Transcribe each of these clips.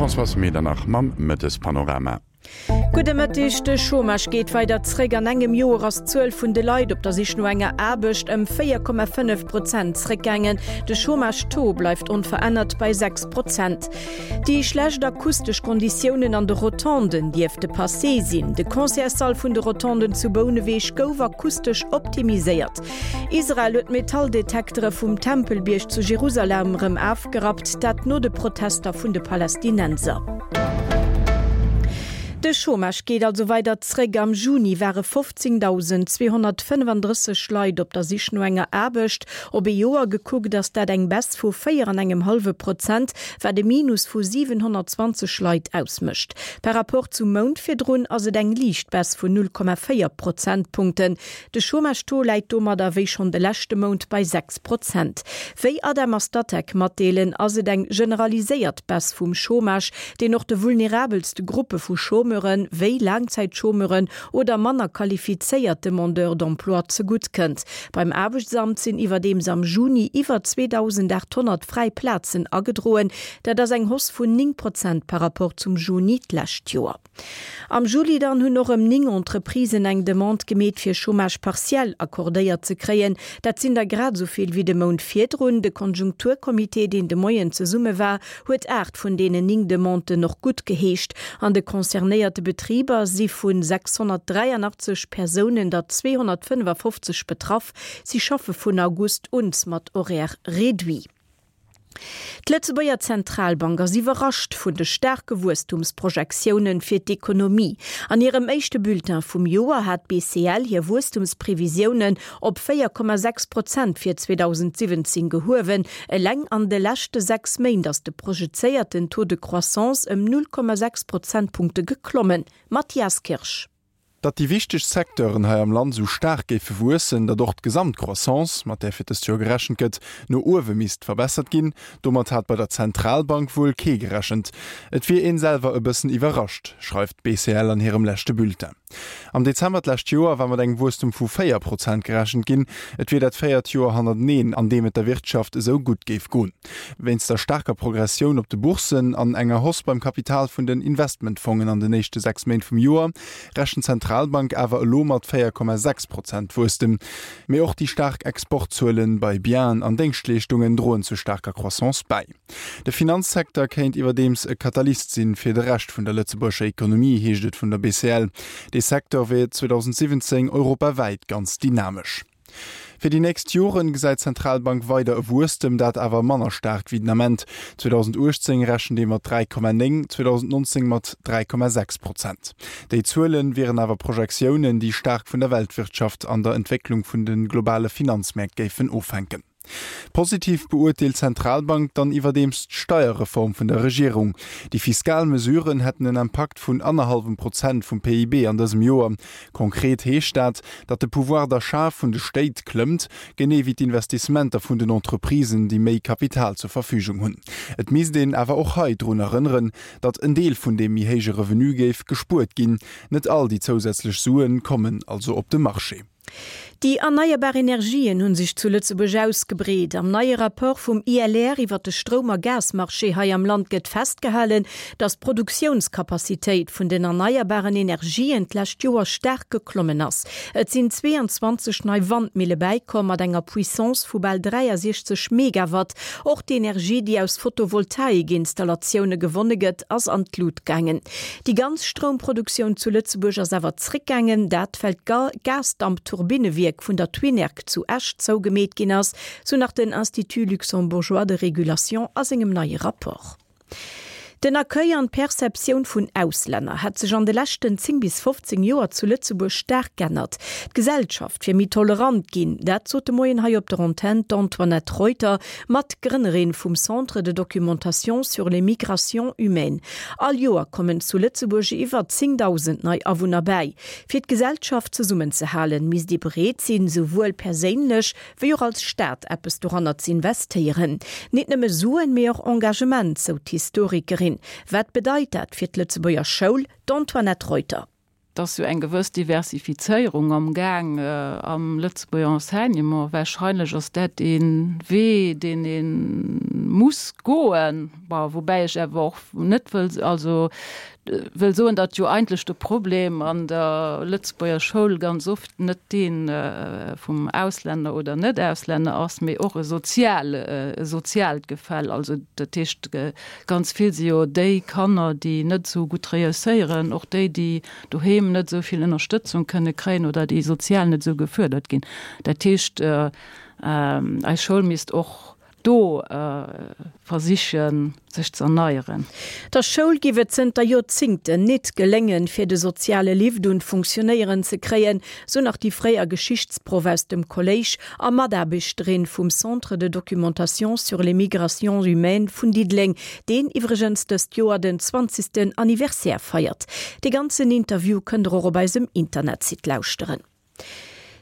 D'Françoise Medernach mam Mëttespanorama. Gudde Mëtteg, De Chômage geet weider zréck. An engem Joer ass d'Zuel vun de Leit op der Sich no enger Aarbecht ëm 4,5 Prozent zréckgaangen. De Chômage-Taux bleift onverännert bei 6 Prozent. Déi schlecht akustesch Konditiounen an de Rotonden dierfte passé sinn. De Concertssall vun de Rotonden zu Bouneweg gouf akustesch optimiséiert. Israel huet d'Metalldetektere vum Tempelbierg zu Jerusalem erëm afgerappt, dat no de Protester vun de Palästinenser. De Chômage geet also weider zréck. Am Juni ware 15.235 Leit op der Sich no enger Aarbecht. Op ee Joer gekuckt ass dat eng Baisse vu 4 an engem hallwe Prozent, wat e Minus vu 720 Leit ausmécht. Par Rapport zum Mount virdrun ass et eng liicht Baisse vun 0,4 Prozentpunkten. De Chômage-Taux läit domadder wéi schonn de leschte Mount bei 6 Prozent. Wéi Adem a Statec matdeelen, ass et eng generaliséiert Baisse vum Chômage, deen och de vulnerabelste Gruppe vu Chômeuren, wéi Laangzäitchômeuren oder manner qualifizéiert Demandeurs d'emploi zegutt kënnt. Beim Aarbechtsamt sinn iwwerdeems am Juni iwwer 2.800 fräi Plazen agedroen. Dat ass eng Hausse vun 9 Prozent par Rapport zum Juni d'lescht Joer. Am Juli dann hunn och ëm 9 Entreprisen eng Demande gemeet fir Chômage partiel accordéiert ze kréien. Dat sinn der grad esou vill wéi de Mount virdrun. De Konjunkturcomité, deen de Moien zesumme war, huet 8 vun deenen 9 Demanden och guttgeheescht. An de concernéierte Betriber si vu 683 Persounen der 255 betraff. Si schaffe vun August un mat Horaire réduit. D'Lëtzebuerger Zentralbank ass iwwerrascht vun de staarke Wuesstumsprojektiounen fir d'Ekonomie. An hirem éischte Bulletin vum Joer hat d'BCL hir Wuesstumsprevisiounen op 4,6 Prozent fir 2017 gehuewen. Eleng an de leschte 6 Méint ass de projezéierten Taux de croissance ëm 0,6 Prozentpunkte geklommen. Mathias Kirsch. Datt déi wichteg Secteuren hei am Land esou staark géife wuessen, datt och d'Gesamtcroissance, mat där fir dëst Joer gerechent gëtt, no uewe misst verbessert ginn, domat hat bei der Zentralbank wuel kee gerechent. Et wier een selwer e bëssen iwwerrascht, schreift d'BCL an hirem leschte Bulletin. Am Dezember d'lescht Joer war mat engem Wuesstum vu 4 Prozent gerechent ginn. Et wier dat véiert Joer hannerteneen, an deem et der Wirtschaft esou gutt géif goen. Wéinst der staarker Progressioun op de Bourssen an enger Hausse beim Kapital vun den Investmentfongen an den éischte 6 Méint vum Joer, rechent d'Zentralbank awer elo mat 4,6 Prozent Wuesstem. Mee och déi staark Exportzuelen bei Bienen an Déngschtleeschtungen droen zur staarker Croissance bäi. De Finanzsecteur kéint iwwerdeems e Katalyst sinn fir de Rescht vun der lëtzebuergescher Ekonomie, heescht et vun der BCL. Dee Secteur wier 2017 europawäit ganz dynamesch. Fir déi nächst Joren gesäit d'Zentralbank weider e Wuesstem, dat awer manner staark wéi den Ament. 2018 rechent ee mat 3,9, 2019 mat 3,6 Prozent. Déi Zuele wieren awer Projektiounen, déi staark vun der Weltwirtschaft an der Entwécklung vun de globale Finanzmäert géifen ofhänken. Positiv beurteelt d'Zentralbank dann iwwerdeems d'Steierreform vun der Regierung. Déi fiskal Mesuren hätten en Impakt vun annerhallwem Prozent vum PIB an dësem Joer. Konkret heescht dat, datt de Pouvoir d'achat vun de Stéit klëmmt, genee wéi d'Investissementer vun den Entreprisen, déi méi Kapital zur Verfügung hunn. Et misst een awer och hei drun erënneren, datt en Deel vun deem méi héije Revenu géif gespuert ginn. Net all déi zousätzlech Sue kommen also op de Marché. Déi erneierbar Energien hu sech zu Lëtzebuerg ausgebreet. Am neie Rapport vum ILR iwwer de Stroum a Gasmarché hei am Land gëtt festgehalen, datt d'Produktiounskapazitéit vun den erneierbaren Energien d'lescht Joer staark geklommen ass. Et sinn 22 nei Wandmille bäikomm mat enger Puissance vu bal 63 Megawatt. Och d'Energie, déi aus Photovoltaikinnstallatioune gewonne gëtt, ass an d'Lut gaangen. Déi ganz Stroumproduktioun zu Lëtzebuerg ass awer zréckgaangen, dat well d'Gasdampturbinewierk vun der Twinerg zu Esch zougemeet ginn ass, sou nach den Institut luxembourgeois de régulation a sengem neie Rapport. Den Accueil an d'Perceptioun vun Auslänner hätt sech an de leschten 10 bis 15 Joer zu Lëtzebuerg staark g'ännert. D'Gesellschaft wier méi tolerant ginn, dat sot de Moien hei op der Antenn d'Antoinette Reuter, Matgrënnerin vum Centre de documentation sur les migrations humaines. All Joer kommen zu Lëtzebuerg iwwer 10.000 nei Awunner bäi. Fir d'Gesellschaft zesummenzehalen, misst ee bereet sinn, souwuel perséinlech wéi och als Staat eppes doranner z'investéieren. Nit nëmme Suen, mee och Engagement, sou d'Historikerin. Wat bedeit dat fir d'Lëtzebuerger Schoul? D'Antoinette Reuter. Et ass jo eng gewëss Diversifizéierung am Gaang am Lëtzebuerger Enseignement. Wahrscheinlech ass dat ee Wee, deen ee muss goen. Bon, woubäi ech awer och net wëll, also wëll soen, datt jo eigentlech de Problem an der Lëtzebuerger Schoul ganz oft net dee vum Auslänner oder Net-Auslänner ass, mee och e sozial, e soziaalt Gefäll. Also dat heescht, Ganz vill si jo déi Kanner, déi net esou gutt reusséieren, och déi, déi doheem net esou vill Ënnerstëtzung kënne kréien oder déi sozial net esou gefuerdert ginn. Dat heescht, eis Schoul misst och do versichen, sech ze erneieren. Der Schoul giff et zënter Joerzingten nit geléngen, fir de soziale Lift un d'Funktionéieren ze kréien, sou nach déi fréier Geschichtsproff aus dem Kolléisch a Mataarbechterin vum Centre de documentation sur les migrations humaines vun Diddeleng, deen iwwregens dëst Joer den zwanzegsten Anniversaire feiert. Dee ganzen Interview kënnt der och op eisem Internetsite lauschteren.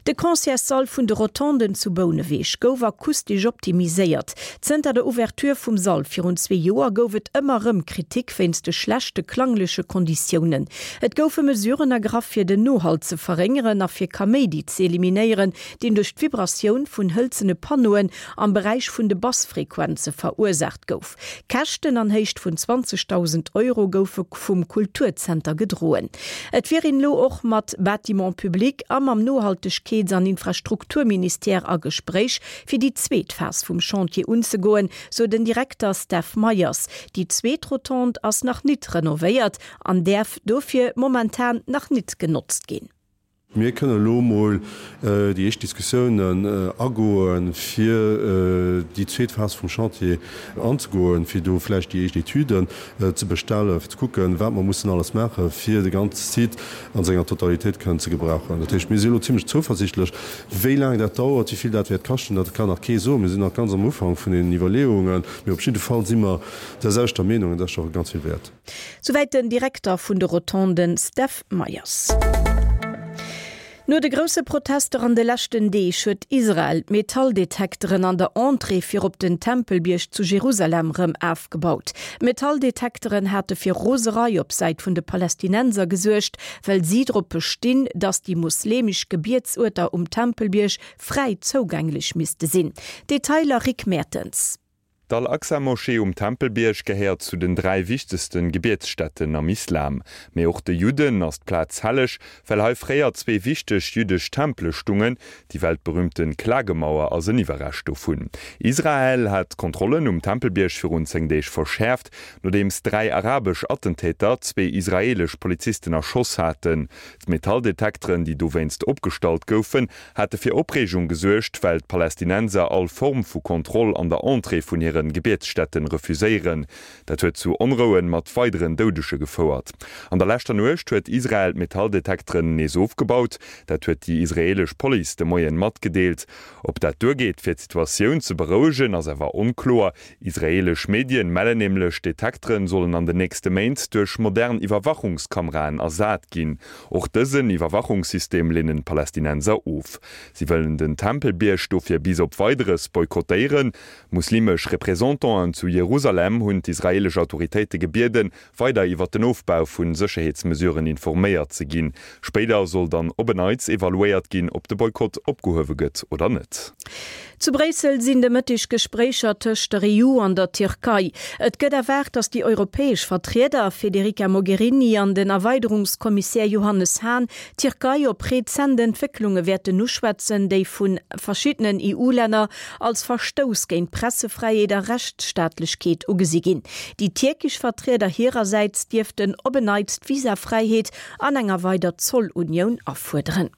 De Concertssall vun de Rotonden zu Bouneweg gouf akustesch optimiséiert. Zënter der Ouverture vum Sall virun zwee Joer gouf et ëmmer rëm Kritik wéinst de schlechte klangleche Konditiounen. Et goufe Mesuren ergraff fir den Nohall ze verréngeren a fir Kaméidi ze eliminéieren, deen duerch d'Vibratioun vun hëlzene Panneauen am Beräich vun de Bassfrequenze verursaacht gouf. Käschten an Héicht vun 20.000 Euro goufe vum Kulturzenter gedroen. Et wier een elo och mat Bâtiments publics a mam Nohaltegkeets an Infrastrukturministère a Gespréich, fir déi zweet Phas vum Chantier unzegoen, sou den Direkter Steph Meyers. Déi zweet Rotonde ass nach nit renovéiert an däerf dofir momentan nach nit genotzt ginn. Mir kënnen elo emol déi éischt Diskussiounen agoen, fir déi zweet Phas vum Chantier anzegoen, fir do vläicht déi éischt Etüden ze bestellen, fir ze kucken, wat mer mussen alles maachen, fir de ganze Site an senger Totalitéit kënnen ze gebrauchen. Dat heescht, mir si elo zimlech zouversichtlech. Wéi laang dat dauert, wéi vill dat wäert kaschten, dat kann nach kee soen. Mir sinn nach ganz am Ufank vun deenen Iwwerleeungen. Mee op jidde Fall si mer där selwechter Meenung, an dat ass scho ganz vill wäert. Souwäit den Direkter vun de Rotonden Steph Meyers. No de grousse Protester an de leschten Deeg huet Israel d'Metalldetekteren an der Entrée fir op den Tempelbierg zu Jerusalem rëm afgebaut. D'Metalldetekteren hate fir Roserei op Säit vun de Palästinenser gesuergt, well si drop bestinn, datt déi mosleemesch Gebietsuerter um Tempelbierg fräi zougänglech misste sinn. Detailer Rick Mertens. D'Al-Aqsa-Moschee um Tempelbierg gehéiert zu den 3 wichtegste Gebietsstätten am Islam. Mee och de Judden ass d'Plaz helleg, well hei fréier zwee wichteg jüddesch Tempele stungen. Déi weltberüümte Klagemauer ass en Iwwerrescht dovun. Israel hat d'Kontrollen um Tempelbierg virun 10 Deeg verschäerft, nodeems 3 arabesch Attentäter zwee israeelesch Polizisten erschoss haten. D'Metalldetekteren, déi dowéinst opgestallt goufen, hate fir Opreegung gesuergt, well d'Palästinenser all Form vu Kontroll an der Entrée vun hire Gebietsstätten refuséieren. Dat huet zu Onrouen mat weideren Doudege gefouert. An der leschter Nuecht huet Israel d'Metalldetekteren nees ofgebaut. Dat huet déi israeelesch Police de Moien matgedeelt. Ob dat duergeet, fir d'Situatioun ze berouegen, ass awer onkloer. Israeelesch Medien mellen nämlech, d'Detekteren sollen an den nächste Méint duerch modern Iwwerwachungskameraen ersat ginn. Och dësen Iwwerwachungssystem leenen d'Palästinenser of. Si wëllen den Tempelbierg dofir bis op Weideres boykottéieren. Muslimesch Representanten zu Jerusalem hunn d'israeelesch Autoritéite gebieden, weider iwwer den Ofbau vu Sécherheetsmesuren informéiert ze ginn. Spéider soll dann op en Neits evaluéiert ginn, ob de Boykott opgehuewe gëtt oder net. Zu Bréissel sinn de Mëtteg Gespréicher tëscht der EU an der Tierkei. Et gëtt erwaart, datt déi europäesch Vertrieder Federica Mogherini an den Erweiderungskommissär Johannes Hahn d'Tierkei op rezent Entwécklunge wäerten uschwätzen, déi vu verschiddenen EU-Länner als Verstouss géint Pressefräiheet a Rechtsstaatlechkeet ugesi ginn. Déi tierkesch Vertrieder hirersäits dierften op en Neits d'Visafräiheet an enger weider Zollunioun afuerderen.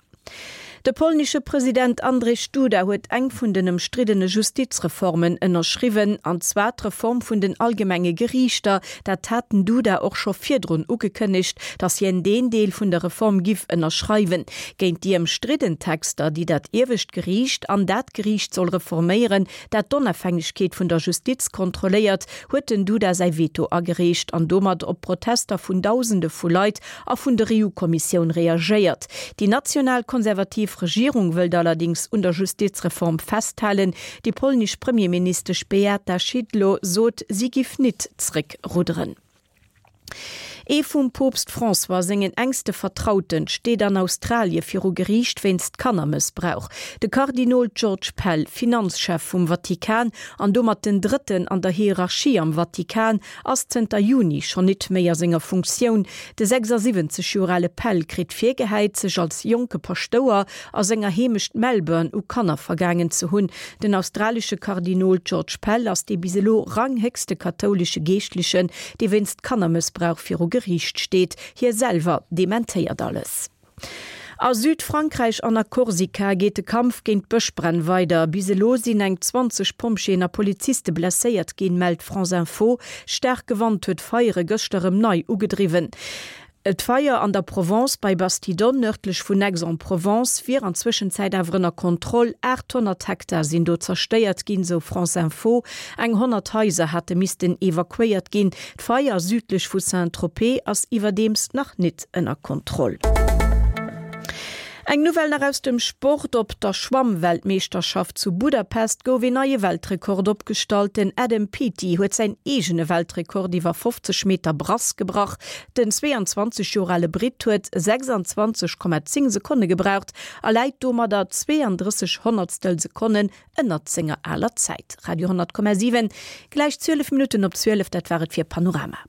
De polnesche President Andrzej Duda huet eng vun den ëmstriddene Justizreformen ënnerschriwwen, an zwar d'Reform vun den allgemenge Geriichter. Dat hat den Duda och scho virdrun ugekënnegt, datt hien deen Deel vun der Reform giff ënnerschreiwen. Géint déi ëmstridden Texter, déi dat iewescht Geriicht an dat Geriicht soll reforméieren, dat d'Onafhängegkeet vun der Justiz kontrolléiert, huet den Duda säi Veto agereecht an domat op Protester vun Dausende vu Leit a vun der EU-Kommissioun reagéiert. Déi national-konservativ Regierung wëllt allerdéngs un der Justizreform festhalen. Déi polnesch Premierministesch Beata Szydlo sot, si giff nit zréckrudderen. Ee vum Poopst François sengen enkste Vertrauten steet an Australie viru Geriicht wéinst Kannermëssbrauch. De Kardinol George Pell, Finanzchef vum Vatikan an domat den drëtten an der Hierarchie am Vatikan, ass zënter Juni schonn nit méi a senger Funktioun. De 76 Joer ale Pell kritt virgehäit, sech als jonke Paschtouer a senger Heemecht Melbourne u Kanner vergaangen ze hunn. Den australesche Kardinol George Pell ass dee bis elo ranghéchste kathoulesche Geeschtlechen, dee wéinst Kannermëssbrauch viru Geriicht steet. Hie selwer dementéiert alles. A Südfrankräich an a Korsika geet de Kampf géint d'Bëschbränn weider. Bis elo sinn eng 20 Pompjeeën a Poliziste blesséiert ginn, mellt France Info. Staarke Wand huet d'Feiere gëschter erëm nei ugedriwwen. D'Feier an der Provence bei Bastidonne, nërdlech vun Aix-en-Provence, wier an Zwëschenzäit awer ënner Kontroll. 800 Hektar sinn do zerstéiert ginn, sou France Info. Eng 100 Haiser hate missten evakuéiert ginn. D'Feier südlech vu Saint-Tropez ass iwwerdeems nach nit ënner Kontroll. Eng Nouvelle nach aus dem Sport, Op der Schwammweltmeeschterschaft zu Budapest gouf een neie Weltrekord opgestallt. Den Adam Peaty huet säin eegene Weltrekord iwwer 50 Meter Brass gebrach. Den 22 Joer ale Britt huet 26,10 Sekonne gebraucht a läit domadder 32 Honnertstel Sekonnen ënnert senger aler Zäit. Radio 10,7, gläich 12 Minutten op 12, dat war et fir Panorama.